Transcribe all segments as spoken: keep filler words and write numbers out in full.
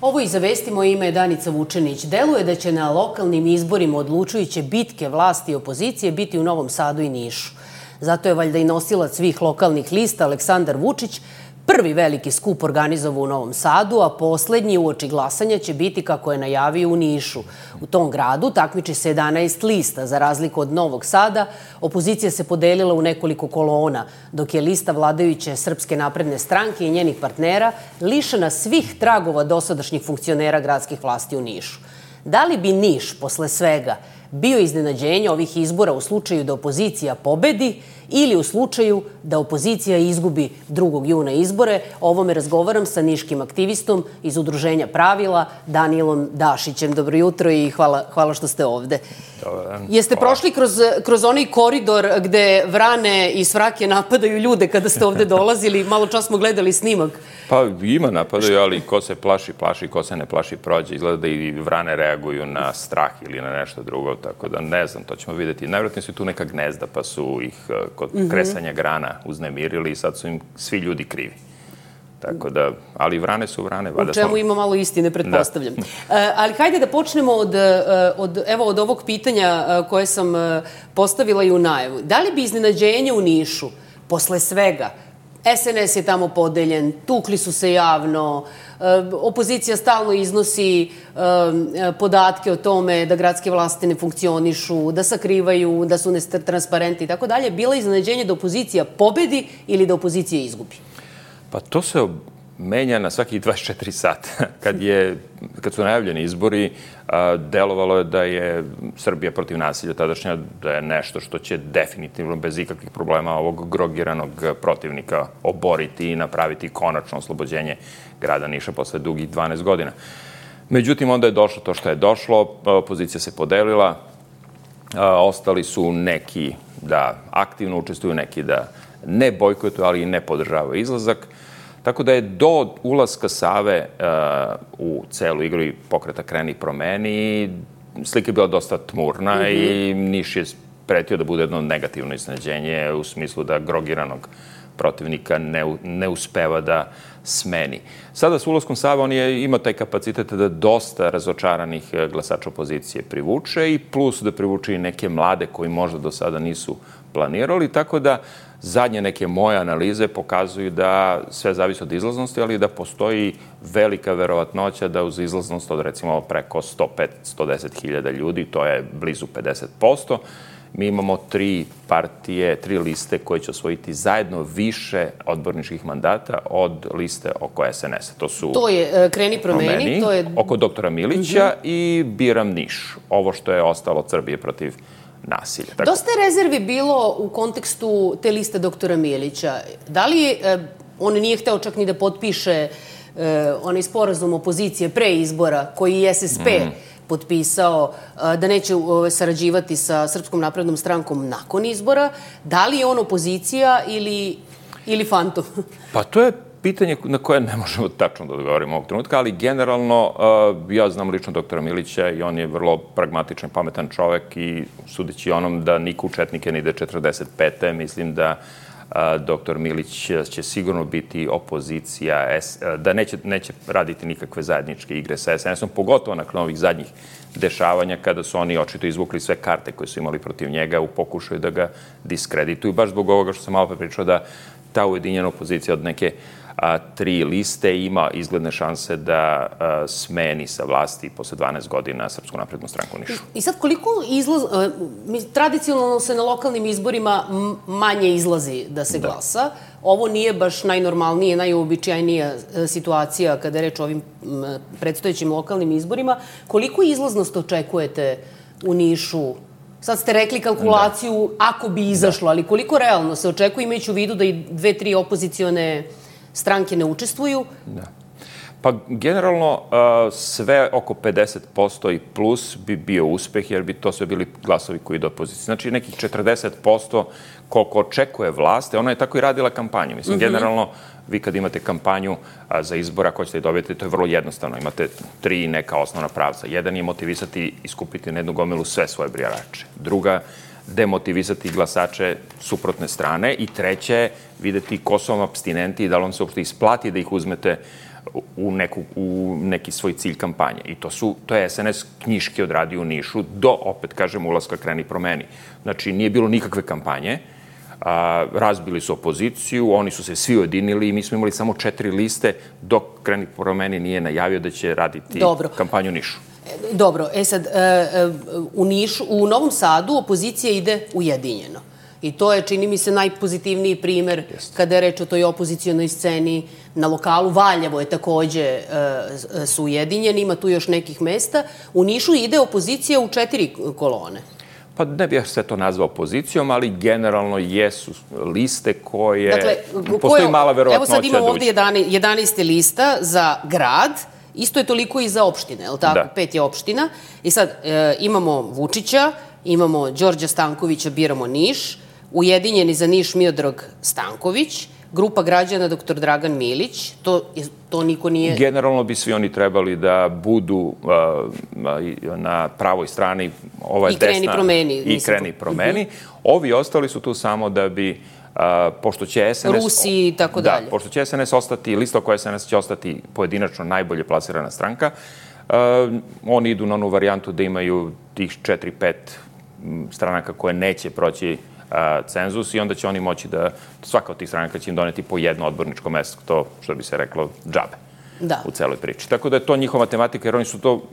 Ovo i za vesti, moje ime je Danica Vučenić. Deluje da će na lokalnim izborima odlučujuće bitke vlasti i opozicije biti u Novom Sadu i Nišu. Zato je valjda i nosilac svih lokalnih lista Aleksandar Vučić prvi veliki skup organizovao u Novom Sadu, a poslednji uoči glasanja će biti, kako je najavio, u Nišu. U tom gradu takmiči se jedanaest lista. Za razliku od Novog Sada, opozicija se podelila u nekoliko kolona, dok je lista vladajuće Srpske napredne stranke i njenih partnera lišena svih tragova dosadašnjih funkcionera gradskih vlasti u Nišu. Da li bi Niš, posle svega, bio iznenađenje ovih izbora u slučaju da opozicija pobedi ili u slučaju da opozicija izgubi drugog juna izbore? O ovome razgovaram sa niškim aktivistom iz Udruženja Pravila, Danijelom Dašićem. Dobro jutro i hvala, hvala što ste ovde. Dobar. Jeste prošli kroz, kroz onaj koridor gde vrane i svrake napadaju ljude kada ste ovde dolazili? Malo čas smo gledali snimak. Pa ima napadaju, ali ko se plaši, plaši, ko se ne plaši, prođe. Izgleda da i vrane reaguju na strah ili na nešto drugo, tako da ne znam, to ćemo vidjeti. Najvjerojatnije su tu neka gnezda, pa su ih kod kresanja grana uznemirili i sad su im svi ljudi krivi. Tako da, ali vrane su vrane. U čemu ima malo istine, pretpostavljam. Ali hajde da počnemo od, od, evo, od ovog pitanja koje sam postavila i u najavu. Da li bi iznenađenje u Nišu, posle svega, S N S je tamo podeljen, tukli su se javno, opozicija stalno iznosi podatke o tome da gradske vlasti ne funkcionišu, da sakrivaju, da su netransparentni i tako dalje, bila iznenađenje da opozicija pobedi ili da opozicija izgubi? Pa to se menja na svakih dvadeset četiri sata. Kad, je, kad su najavljeni izbori, delovalo je da je Srbija protiv nasilja tadašnja, da je nešto što će definitivno bez ikakvih problema ovog grogiranog protivnika oboriti i napraviti konačno oslobođenje grada Niša posle dugih dvanaest godina. Međutim, onda je došlo to što je došlo, opozicija se podelila, ostali su neki da aktivno učestvuju, neki da ne bojkotuju, ali i ne podržavaju izlazak. Tako da je do ulaska Save uh, u celu igru i pokreta Kreni promeni, slika je bila dosta tmurna mm-hmm. i Niš je pretio da bude jedno negativno iznenađenje u smislu da grogiranog protivnika ne, ne uspeva da smeni. Sada s ulaskom Save on je ima taj kapacitet da dosta razočaranih glasača opozicije privuče i plus da privuče i neke mlade koji možda do sada nisu planirali, tako da zadnje neke moje analize pokazuju da sve zavisi od izlaznosti, ali da postoji velika verovatnoća da uz izlaznost od recimo preko sto pet do sto deset hiljada ljudi, to je blizu pedeset posto, mi imamo tri partije, tri liste koje će osvojiti zajedno više odborničkih mandata od liste oko S N S-a. To su to je Kreni promeni, promeni to je oko doktora Milića uh-huh. i Biram Niš. Ovo što je ostalo od Srbije protiv nasilja. Tako... Dosta je rezervi bilo u kontekstu te liste doktora Milića. Da li eh, on nije hteo čak ni da potpiše eh, onaj sporazum opozicije pre izbora koji je S S P mm. potpisao, eh, da neće eh, sarađivati sa Srpskom naprednom strankom nakon izbora? Da li je on opozicija ili, ili fantom? Pa to je pitanje na koje ne možemo tačno da odgovorimo ovog trenutka, ali generalno ja znam lično doktora Milića i on je vrlo pragmatičan, pametan čovek i sudeći onom da niko u četnike ne ide četrdeset pete mislim da doktor Milić će sigurno biti opozicija, da neće, neće raditi nikakve zajedničke igre sa S N S-om, pogotovo nakon ovih zadnjih dešavanja kada su oni očito izvukli sve karte koje su imali protiv njega u pokušaju da ga diskredituju. Baš zbog ovoga što sam malo pre pričao da ta ujedinjena opozicija od neke a, tri liste ima izgledne šanse da a, smeni sa vlasti posle dvanaest godina Srpsku naprednu stranku Nišu. I sad koliko izlaz... Tradicionalno se na lokalnim izborima manje izlazi da se glasa. Da. Ovo nije baš najnormalnije, najuobičajnija situacija kada je reč o ovim predstojećim lokalnim izborima. Koliko izlaznost očekujete u Nišu? Sad ste rekli kalkulaciju da. Ako bi izašlo, da. Ali koliko realno se očekuje, imajući u vidu da i dve, tri opozicione stranke ne učestvuju? Da. Pa generalno sve oko pedeset posto i plus bi bio uspeh, jer bi to sve bili glasovi koji idu opozicije. Znači nekih četrdeset posto koliko očekuje vlast, ona je tako i radila kampanju. Mislim, mm-hmm. generalno, vi kad imate kampanju a, za izbora koje ćete dobiti, to je vrlo jednostavno. Imate tri neka osnovna pravca. Jedan je motivisati i skupiti na jednu gomilu sve svoje birače. Druga, demotivisati glasače suprotne strane. I treće, videti ko su vam apstinenti i da li vam se uopšte isplati da ih uzmete u, neku, u neki svoj cilj kampanje. I to, su, to je es en es knjiški odradio u Nišu do, opet kažem, ulaska Kreni promeni. Znači, nije bilo nikakve kampanje, a, razbili su opoziciju, oni su se svi ujedinili i mi smo imali samo četiri liste dok Kreni promeni nije najavio da će raditi Dobro. kampanju u Nišu. Dobro, e sad, u Nišu, u Novom Sadu opozicija ide ujedinjeno. I to je, čini mi se, najpozitivniji primer kada je reč o toj opozicijonoj sceni. Na lokalu Valjevo je takođe su ujedinjeni, ima tu još nekih mesta. U Nišu ide opozicija u četiri kolone. Pa ne bih sve to nazvao opozicijom, ali generalno jesu liste koje... Dakle, postoji mala verovatnoća da uđe. Evo sad imamo ovde jedanaest lista za grad, isto je toliko i za opštine, je li tako? Da. Pet je opština. I sad imamo Vučića, imamo Đorđa Stankovića, biramo Niš, ujedinjeni za Niš Miodrag Stanković, grupa građana doktor Dragan Milić, to, to niko nije... Generalno bi svi oni trebali da budu uh, na pravoj strani, ova I kreni desna... promeni. I kreni promeni. Uh-huh. Ovi ostali su tu samo da bi, uh, pošto će es en es... Rusi i tako dalje. Da, pošto će es en es ostati, lista oko es en es će ostati pojedinačno najbolje plasirana stranka, uh, oni idu na onu varijantu da imaju tih četiri, pet stranaka koje neće proći cenzus i onda će oni moći da, svaka od tih stranaka će im doneti po jedno odborničko mesto, to što bi se reklo džabe da. u celoj priči. Tako da je to njihova matematika, jer oni su to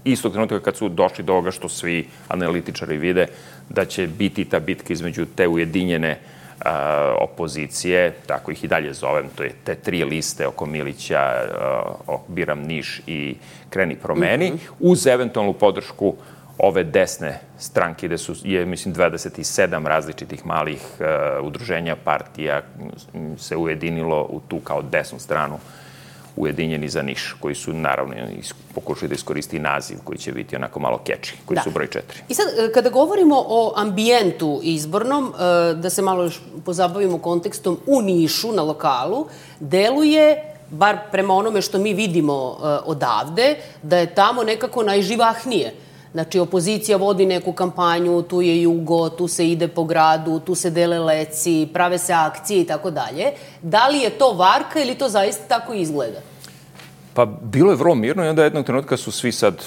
istog trenutka kad su došli do ovoga što svi analitičari vide, da će biti ta bitka između te ujedinjene a, opozicije, tako ih i dalje zovem, to je te tri liste oko Milića, a, Biram Niš i Kreni promeni, mm-hmm. uz eventualnu podršku ove desne stranke, gde su, je, mislim, dvadeset sedam različitih malih uh, udruženja, partija se ujedinilo u tu kao desnu stranu ujedinjeni za Niš, koji su, naravno, pokušali da iskoristi naziv koji će biti onako malo keči, koji da. su broj četiri. I sad, kada govorimo o ambijentu izbornom, da se malo još pozabavimo kontekstom u Nišu, na lokalu, deluje, bar prema onome što mi vidimo odavde, da je tamo nekako najživahnije. Znači, opozicija vodi neku kampanju, tu je jugo, tu se ide po gradu, tu se dele leci, prave se akcije i tako dalje. Da li je to varka ili to zaista tako izgleda? Pa, bilo je vrlo mirno i onda jednog trenutka su svi sad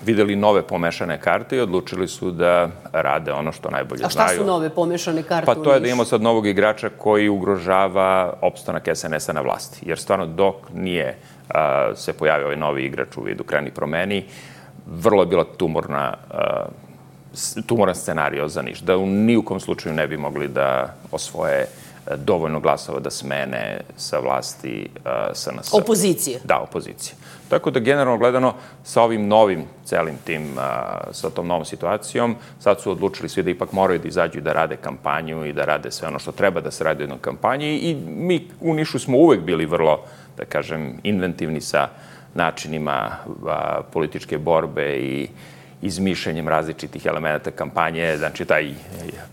videli nove pomešane karte i odlučili su da rade ono što najbolje znaju. A šta su nove pomešane karte? Pa to je da imamo sad novog igrača koji ugrožava opstanak es en es-a na vlasti. Jer stvarno dok nije a, se pojavio ovaj novi igrač u vidu Kreni promeni, vrlo je bila tumorna, uh, tumoran scenario za Niš, da u nijukom slučaju ne bi mogli da osvoje dovoljno glasova da smene sa vlasti uh, es en es. Opozicije? Da, opozicije. Tako da, generalno gledano, sa ovim novim, celim tim, uh, sa tom novom situacijom, sad su odlučili svi da ipak moraju da izađu i da rade kampanju i da rade sve ono što treba da se radi u jednoj kampanji i mi u Nišu smo uvek bili vrlo, da kažem, inventivni sa načinima a, političke borbe i izmišljanjem različitih elemenata kampanje, znači taj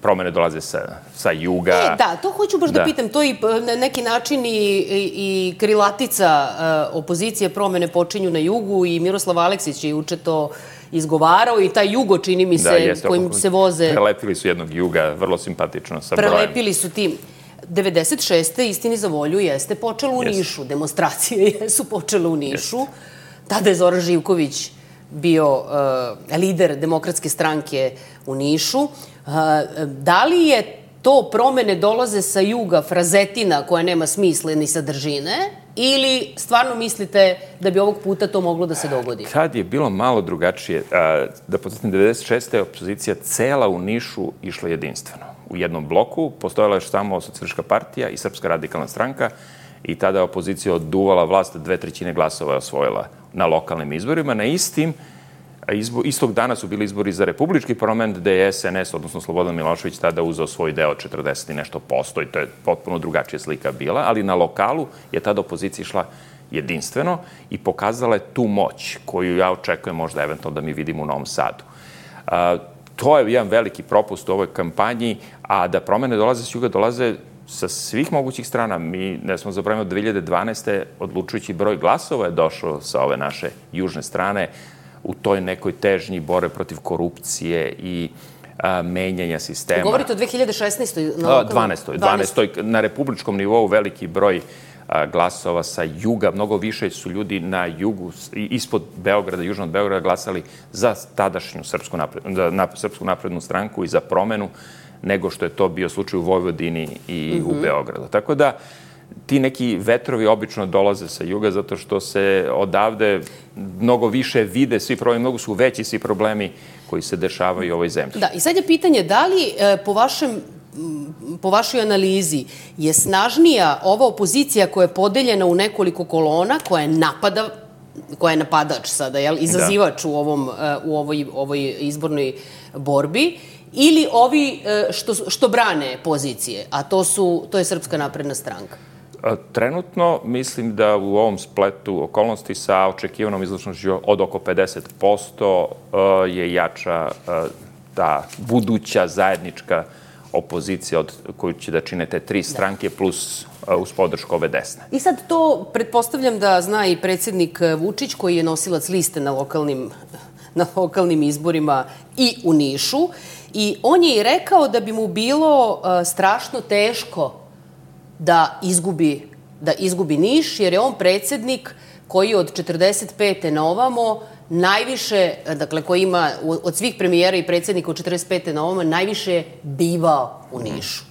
promene dolaze sa, sa juga. E, da, to hoću baš da, da pitam, to je na neki način i, i, i krilatica a, opozicije, promene počinju na jugu i Miroslav Aleksić je juče to izgovarao i taj jugo, čini mi se, da, jeste, kojim se voze... Prelepili su jednog juga, vrlo simpatično, sa brojem. Prelepili su tim. devedeset šeste istini za volju jeste počelo u yes. Nišu. Demonstracije jesu počele u Nišu. Yes. Tada je Zoran Živković bio uh, lider Demokratske stranke u Nišu. Uh, da li je to promene dolaze sa juga, frazetina koja nema smisla ni sadržine, ili stvarno mislite da bi ovog puta to moglo da se dogodi? Tad je bilo malo drugačije. Da podsjetim, devedeset šeste je opozicija cela u Nišu išla jedinstveno. U jednom bloku postojala je samo Socijalistička partija i Srpska radikalna stranka i tada je opozicija oduvala vlast, dve trećine glasova je osvojila na lokalnim izborima. Na istim, izbo, istog dana su bili izbori za republički parlament, gde je es en es, odnosno Slobodan Milošević, tada uzeo svoj deo četrdeset i nešto posto i to je potpuno drugačija slika bila, ali na lokalu je tada opozicija išla jedinstveno i pokazala je tu moć koju ja očekujem možda eventualno da mi vidimo u Novom Sadu. A, to je jedan veliki propust u ovoj kampanji, a da promene dolaze s juga, dolaze sa svih mogućih strana. Mi, ne smo zaboravili, od dve hiljade dvanaeste odlučujući broj glasova je došao sa ove naše južne strane u toj nekoj težnji bore protiv korupcije i a, menjanja sistema. Govorite o dve hiljade šesnaestoj dvanaestoj. dvanaestoj. Na republičkom nivou veliki broj glasova sa juga. Mnogo više su ljudi na jugu, ispod Beograda, južno od Beograda, glasali za tadašnju Srpsku naprednu, na, Srpsku naprednu stranku i za promenu, nego što je to bio slučaj u Vojvodini i mm-hmm. u Beogradu. Tako da, ti neki vetrovi obično dolaze sa juga zato što se odavde mnogo više vide svi problemi, mnogo su veći svi problemi koji se dešavaju u ovoj zemlji. Da, i sad je pitanje da li e, po vašem po vašoj analizi je snažnija ova opozicija koja je podeljena u nekoliko kolona, koja je napada, koja je napadač sada, jel, izazivač da. u ovom u ovoj ovoj izbornoj borbi, ili ovi što što brane pozicije, a to su to je Srpska napredna stranka? Trenutno mislim da u ovom spletu okolnosti sa očekivanom izlaznošću od oko pedeset posto je jača ta buduća zajednička opozicija od koju će da čine te tri stranke da. plus uz podršku ove desne. I sad to pretpostavljam da zna i predsjednik Vučić koji je nosilac liste na lokalnim, na lokalnim izborima i u Nišu. I on je i rekao da bi mu bilo uh, strašno teško da izgubi, da izgubi Niš, jer je on predsjednik koji od četrdeset pete na ovamo najviše, dakle, koji ima od svih premijera i predsjednika od četrdeset pete na ovamo najviše bivao u Nišu.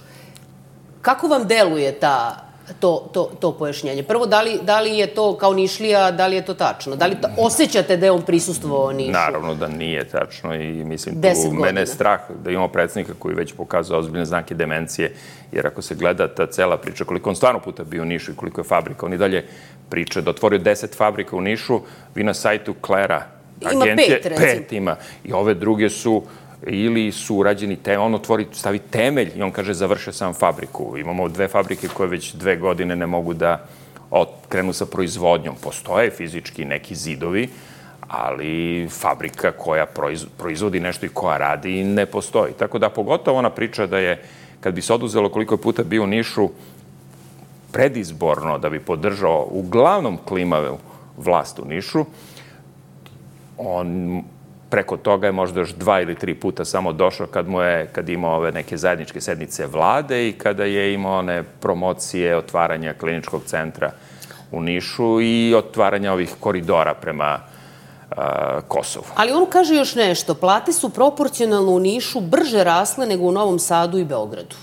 Kako vam deluje ta, to, to, to pojašnjenje? Prvo, da li, da li je to kao Nišlija, da li je to tačno? Da li to, osjećate da je on prisustvovao Nišu? Naravno da nije tačno i mislim tu mene je strah da imamo predsjednika koji već pokazao ozbiljne znake demencije, jer ako se gleda ta cela priča, koliko on stvarno puta bio u Nišu i koliko je fabrika, on i dalje priča da otvorio deset fabrika u Nišu, vi na sajtu Klera agencije, ima pet, recimo. Pet ima. I ove druge su ili su urađeni, te, on otvori, stavi temelj i on kaže završio sam fabriku. Imamo dve fabrike koje već dve godine ne mogu da krenu sa proizvodnjom. Postoje fizički neki zidovi, ali fabrika koja proizvodi nešto i koja radi ne postoji. Tako da pogotovo ona priča da je, kad bi se oduzelo koliko je puta bio u Nišu, predizborno da bi podržao uglavnom klimavu vlast u Nišu, on preko toga je možda još dva ili tri puta samo došao kad mu je, kad imao ove neke zajedničke sednice vlade i kada je imao one promocije otvaranja kliničkog centra u Nišu i otvaranja ovih koridora prema uh, Kosovu. Ali on kaže još nešto, plate su proporcionalno u Nišu brže rasle nego u Novom Sadu i Beogradu.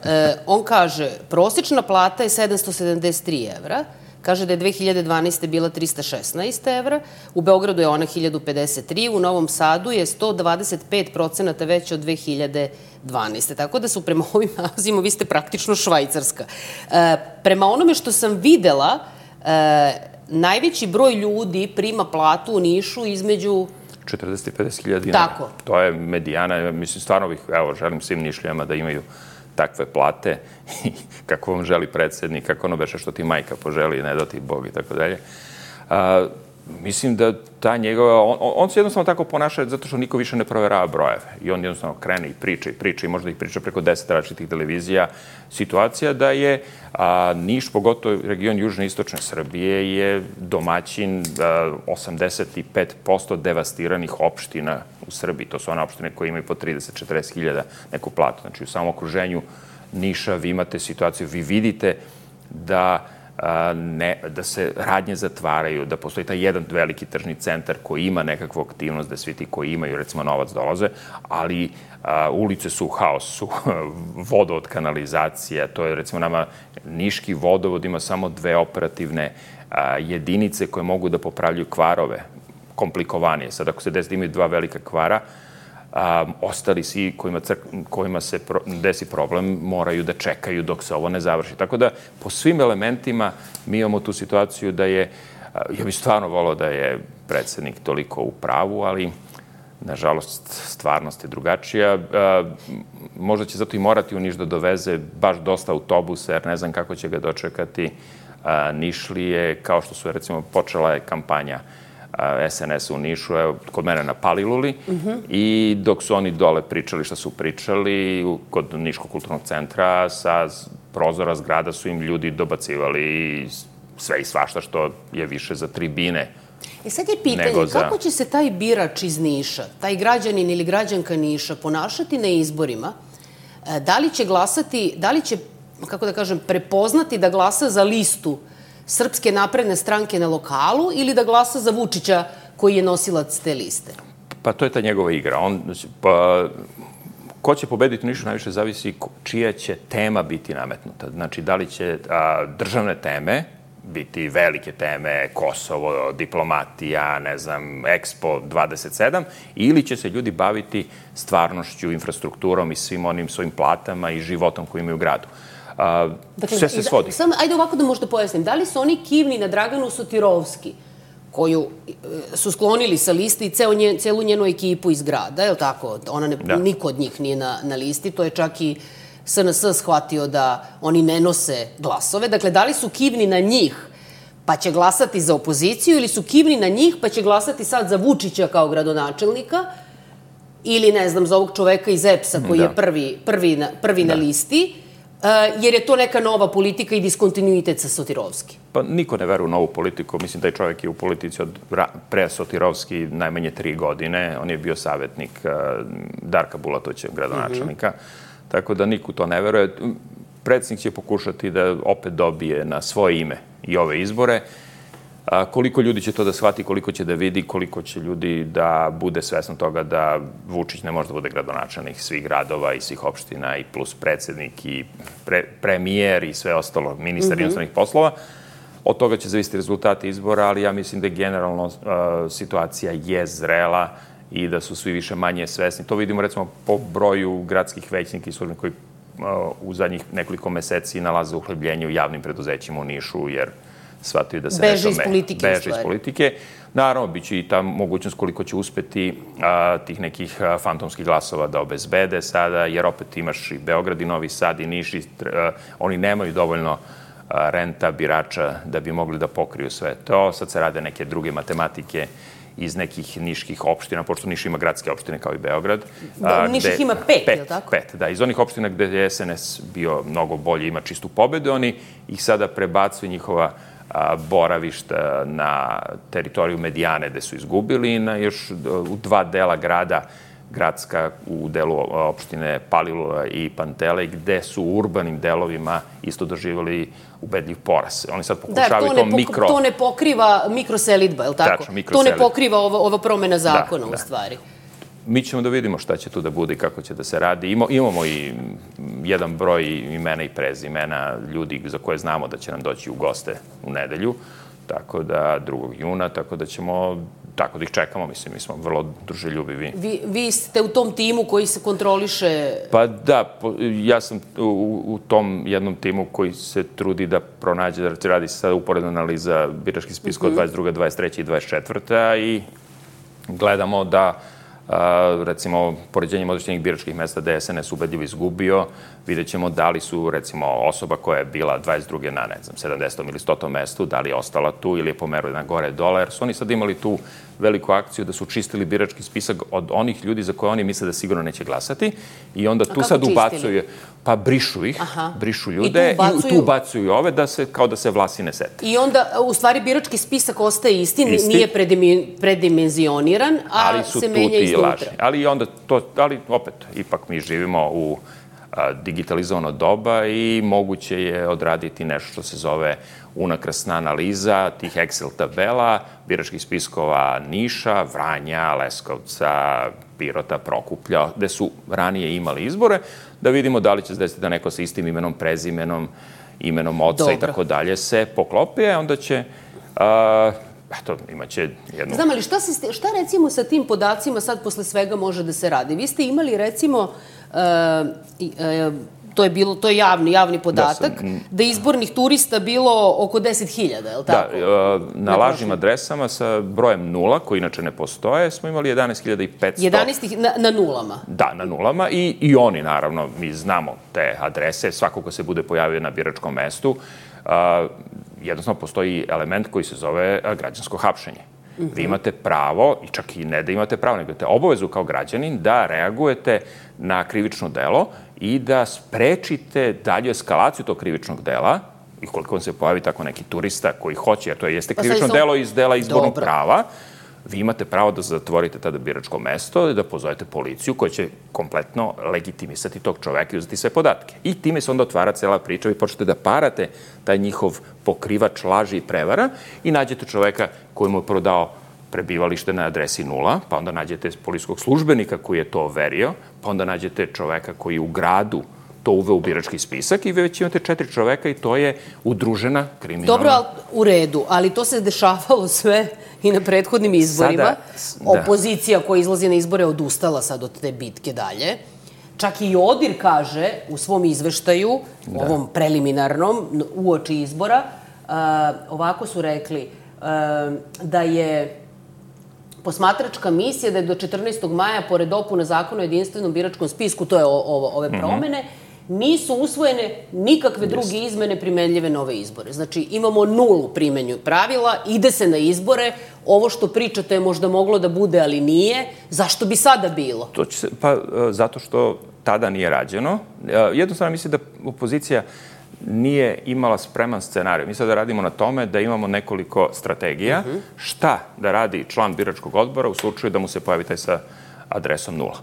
E, on kaže, prosječna plata je sedamsto sedamdeset tri evra, kaže da je dve hiljade dvanaeste. bila trista šesnaest evra, u Beogradu je ona hiljadu pedeset tri, u Novom Sadu je sto dvadeset pet procenata veća od dve hiljade dvanaeste. Tako da su prema ovim nalazima, vi ste praktično Švajcarska. E, prema onome što sam videla, e, najveći broj ljudi prima platu u Nišu između četrdeset i pedeset hiljada dinara. Tako. To je medijana, mislim, stvarno bih, evo, želim svim Nišlijama da imaju takve plate, kako vam želi predsjednik, kako ono beše što ti majka poželi, ne da ti Bog i tako dalje. Mislim da ta njegova, on, on se jednostavno tako ponaša zato što niko više ne proverava brojeve. I on jednostavno krene i priča i priča i možda ih priča preko deset različitih televizija. Situacija da je a, Niš, pogotovo region južne i istočne Srbije, je domaćin a, osamdeset pet posto devastiranih opština u Srbiji. To su one opštine koje imaju po trideset do četrdeset hiljada neku platu. Znači u samom okruženju Niša vi imate situaciju, vi vidite da Ne, da se radnje zatvaraju, da postoji taj jedan veliki tržni centar koji ima nekakvu aktivnost, da svi ti koji imaju, recimo, novac dolaze, ali a, ulice su u haosu, vodovod, kanalizacija, to je, recimo, nama Niški vodovod ima samo dve operativne a, jedinice koje mogu da popravljaju kvarove, komplikovanije. Sad, ako se desi da imaju dva velika kvara, A, ostali svi kojima, crk, kojima se pro, desi problem moraju da čekaju dok se ovo ne završi. Tako da po svim elementima mi imamo tu situaciju da je, ja bih stvarno volao da je predsjednik toliko u pravu, ali nažalost stvarnost je drugačija. A, možda će zato i morati u Niš da doveze baš dosta autobusa, jer ne znam kako će ga dočekati a, Nišlije, kao što su, recimo, počela je kampanja es en es u Nišu, evo, kod mene na Paliluli, mm-hmm. i dok su oni dole pričali šta su pričali, kod Niškog kulturnog centra, sa prozora zgrada su im ljudi dobacivali sve i svašta što je više za tribine. I sad je pitanje, za... kako će se taj birač iz Niša, taj građanin ili građanka Niša ponašati na izborima? Da li će glasati, da li će kako da kažem, prepoznati da glasa za listu Srpske napredne stranke na lokalu ili da glasa za Vučića koji je nosilac te liste? Pa to je ta njegova igra. On, pa, ko će pobediti u Nišu najviše zavisi čija će tema biti nametnuta. Znači, da li će a, državne teme biti velike teme, Kosovo, diplomatija, ne znam, Expo dvadeset sedam, ili će se ljudi baviti stvarnošću, infrastrukturom i svim onim svojim platama i životom koji imaju u gradu. A, dakle, sve se svodi. Sam, ajde ovako da možda pojasnim. Da li su oni kivni na Draganu Sotirovski, koju su sklonili sa liste i ceo nje, celu njenu ekipu iz grada, je li tako? Ona ne, da. Niko od njih nije na, na listi, to je čak i S N S shvatio da oni ne nose glasove. Dakle, da li su kivni na njih pa će glasati za opoziciju ili su kivni na njih pa će glasati sad za Vučića kao gradonačelnika ili, ne znam, za ovog čoveka iz E P S-a koji da. je prvi, prvi, na, prvi da. na listi, uh, jer je to neka nova politika i diskontinuitet sa Sotirovski. Pa niko ne veruje u novu politiku. Mislim da je čovjek je u politici od pre Sotirovski najmanje tri godine. On je bio savjetnik uh, Darka Bulatovića, gradonačelnika. Mm-hmm. Tako da niko to ne veruje. Predsjednik će pokušati da opet dobije na svoje ime i ove izbore. A, koliko ljudi će to da shvati, koliko će da vidi, koliko će ljudi da bude svesno toga da Vučić ne može da bude gradonačelnik svih gradova i svih opština i plus predsjednik i pre, premijer i sve ostalo, ministar mm-hmm. inostranih poslova. Od toga će zavisiti rezultati izbora, ali ja mislim da je generalno a, situacija je zrela i da su svi više manje svesni. To vidimo recimo po broju gradskih većnika i službenika koji uh, u zadnjih nekoliko meseci nalaze uhlebljenje u javnim preduzećima u Nišu, jer shvataju da se beže nešto... iz politike. Beže iz politike. Naravno, bit će i ta mogućnost koliko će uspeti uh, tih nekih uh, fantomskih glasova da obezbede sada, jer opet imaš i Beograd i Novi Sad i Niš. I, uh, oni nemaju dovoljno uh, renta birača da bi mogli da pokriju sve to. Sad se rade neke druge matematike iz nekih niških opština, pošto Niš ima gradske opštine kao i Beograd. Da, Niš ih ima pet, je li tako? Pet, da. Iz onih opština gde je S N S bio mnogo bolje, ima čistu pobedu, oni ih sada prebacuju njihova a, boravišta na teritoriju Medijane, gde su izgubili, na još u dva dela grada, gradska u delu opštine Palilula i Pantelej, gde su u urbanim delovima isto doživjeli ubedljiv poraz. Oni sad pokušavaju da, to, to mikro... To ne pokriva mikroselidba, je li tako? Tačno, mikroselidba. To ne pokriva ova, ova promena zakona, da, u stvari. Da. Mi ćemo da vidimo šta će tu da bude i kako će da se radi. Ima, imamo i jedan broj imena i prezimena ljudi za koje znamo da će nam doći u goste u nedelju, tako da drugog juna, tako da ćemo... Tako da ih čekamo, mislim, mi smo vrlo druželjubivi. Vi, vi ste u tom timu koji se kontroliše... Pa da, ja sam u, u tom jednom timu koji se trudi da pronađe, da radi se sada uporedna analiza biračkih spiska od dvadeset druge, dvadeset treće i dvadeset četvrte i gledamo da, a, recimo, poređenjem određenih biračkih mesta gde je S N S ubedljivo izgubio, vidjet ćemo da li su, recimo, osoba koja je bila dvadeset druge na, ne znam, sedamdesetom ili stotom mestu, da li je ostala tu ili je pomerila na gore dole, jer su oni sad imali tu veliku akciju da su čistili birački spisak od onih ljudi za koje oni misle da sigurno neće glasati i onda tu sad ubacuju, pa brišu ih, Aha. brišu ljude i tu, ubacuju... i tu ubacuju ove da se, kao da se vlasi ne sete. I onda, u stvari, birački spisak ostaje isti, isti. Nije predimenzioniran, a ali su se menja iznutra. Ali onda to, ali opet, ipak mi živimo u digitalizovano doba i moguće je odraditi nešto što se zove unakrasna analiza tih Excel tabela, biračkih spiskova Niša, Vranja, Leskovca, Pirota, Prokuplja, gde su ranije imali izbore, da vidimo da li će se desiti da neko sa istim imenom, prezimenom, imenom oca Dobro. i tako dalje se poklopi, a onda će... Uh, Eto, imaće jednu... Znam, ali šta, se, šta recimo sa tim podacima sad posle svega može da se radi? Vi ste imali recimo, uh, uh, to je bilo, to je javni, javni podatak, da, sam, da izbornih turista bilo oko deset hiljada, je li tako? Da, uh, na lažnim adresama sa brojem nula, koji inače ne postoje, smo imali jedanaest hiljada petsto. jedanaest na, na nulama? Da, na nulama i, i oni, naravno, mi znamo te adrese, svako ko se bude pojavio na biračkom mestu, uh, jednostavno postoji element koji se zove građansko hapšenje. Mm-hmm. Vi imate pravo, i čak i ne da imate pravo, nego imate obavezu kao građanin da reagujete na krivično delo i da sprečite dalju eskalaciju tog krivičnog dela, i koliko vam se pojavi tako neki turista koji hoće, jer to jeste krivično pa delo iz dela izbornog Dobro. prava, vi imate pravo da zatvorite tada biračko mesto i da pozovete policiju koja će kompletno legitimisati tog čoveka i uzeti sve podatke. I time se onda otvara cela priča, vi počnete da parate taj njihov pokrivač laži i prevara i nađete čoveka koji mu je prodao prebivalište na adresi nula, pa onda nađete policijskog službenika koji je to overio, pa onda nađete čoveka koji u gradu to uveo u birački spisak i već imate četiri čoveka i to je udružena kriminalna... Dobro, ali u redu, ali to se dešavalo sve i na prethodnim izborima. Sada, Opozicija koja izlazi na izbore odustala sad od te bitke dalje. Čak i ODIR kaže u svom izveštaju, da. ovom preliminarnom, uoči izbora, uh, ovako su rekli uh, da je posmatračka misija da je do četrnaestog maja, pored dopuna zakona o jedinstvenom biračkom spisku, to je ovo, ove promene, mm-hmm. nisu usvojene nikakve druge izmene primenljive na ove izbore. Znači, imamo nulu primenju pravila, ide se na izbore, ovo što pričate je možda moglo da bude, ali nije. Zašto bi sada bilo? To će se, pa, zato što tada nije rađeno. Jednostavno mislim da opozicija nije imala spreman scenarij. Mi sada radimo na tome da imamo nekoliko strategija. Uh-huh. Šta da radi član biračkog odbora u slučaju da mu se pojavi taj sa adresom nula.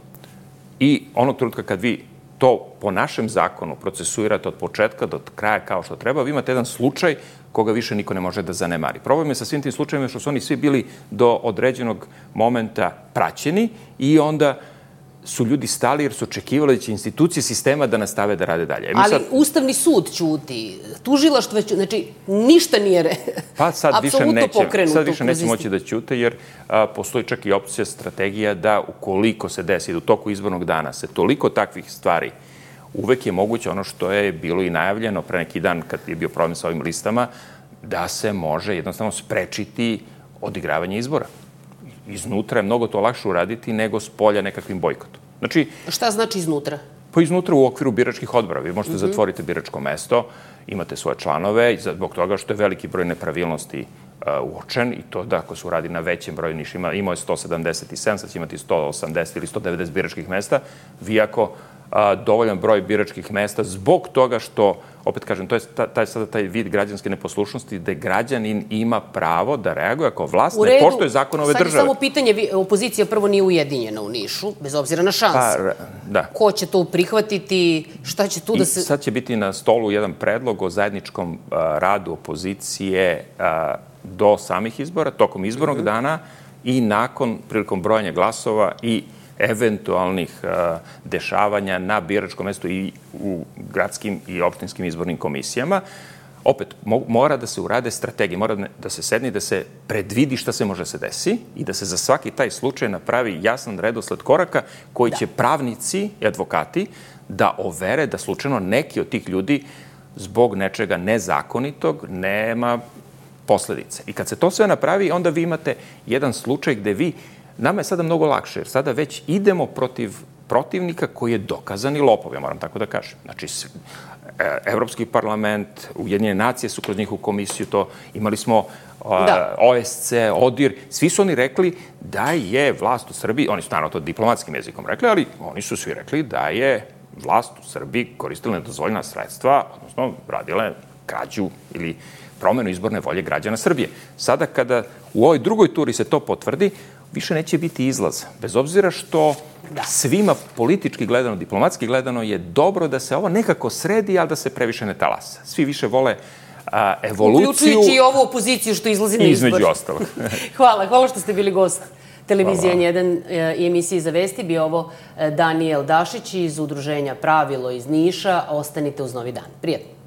I onog trenutka kad vi to po našem zakonu procesuirate od početka do kraja kao što treba, vi imate jedan slučaj koga više niko ne može da zanemari. Problem je sa svim tim slučajima što su oni svi bili do određenog momenta praćeni i onda su ljudi stali jer su očekivali da će institucije sistema da nastave da rade dalje. Ali sad... Ustavni sud ćuti, tužilaštvo ćuti, znači ništa nije re... Pa sad više neće, sad više neće moći da ćute jer a, postoji čak i opcija, strategija da ukoliko se desi, da u toku izbornog dana se toliko takvih stvari, uvek je moguće ono što je bilo i najavljeno pre neki dan kad je bio problem sa ovim listama, da se može jednostavno sprečiti odigravanje izbora. Iznutra je mnogo to lakše uraditi nego s polja nekakvim bojkotom. Znači, šta znači iznutra? Pa iznutra u okviru biračkih odbora. Vi možete mm-hmm. zatvoriti biračko mesto, imate svoje članove, zbog toga što je veliki broj nepravilnosti uh, uočen i to da ako se uradi na većem broju nišima, imao je sto sedamdeset sedam, sad će imati sto osamdeset ili sto devedeset biračkih mesta, vi ako a, dovoljan broj biračkih mesta zbog toga što, opet kažem, to je taj, sada taj vid građanske neposlušnosti gde građanin ima pravo da reaguje ako vlast ne poštuje zakon ove države. Sad je samo pitanje, opozicija prvo nije ujedinjena u Nišu, bez obzira na šanse. Pa, da. Ko će to prihvatiti, šta će tu I da se... sad će biti na stolu jedan predlog o zajedničkom a, radu opozicije a, do samih izbora, tokom izbornog mm-hmm. dana i nakon, prilikom brojanja glasova i eventualnih uh, dešavanja na biračkom mestu i u gradskim i opštinskim izbornim komisijama. Opet, mo mora da se urade strategije, mora da se sedne i da se predvidi šta se može se desi i da se za svaki taj slučaj napravi jasan redosled koraka koji da. će pravnici i advokati da overe da slučajno neki od tih ljudi zbog nečega nezakonitog nema posledice. I kad se to sve napravi, onda vi imate jedan slučaj gde vi nama je sada mnogo lakše, jer sada već idemo protiv protivnika koji je dokazani lopov, ja moram tako da kažem. Znači, Evropski parlament, Ujedinjene nacije su kroz njihovu komisiju to, imali smo da. O S C, ODIR, svi su oni rekli da je vlast u Srbiji, oni su naravno to diplomatskim jezikom rekli, ali oni su svi rekli da je vlast u Srbiji koristila nedozvoljena sredstva, odnosno radile krađu ili promenu izborne volje građana Srbije. Sada kada u ovoj drugoj turi se to potvrdi, više neće biti izlaz. Bez obzira što da. svima politički gledano, diplomatski gledano je dobro da se ovo nekako sredi, ali da se previše ne talasa. Svi više vole a, evoluciju. Uključujući i ovu opoziciju što izlazi na izbor. Između ostalog. Hvala, hvala što ste bili gost televizije N jedan i emisiji Za vesti. Bio ovo Danijel Dašić iz udruženja Pravilo iz Niša. Ostanite uz Novi dan. Prijatno.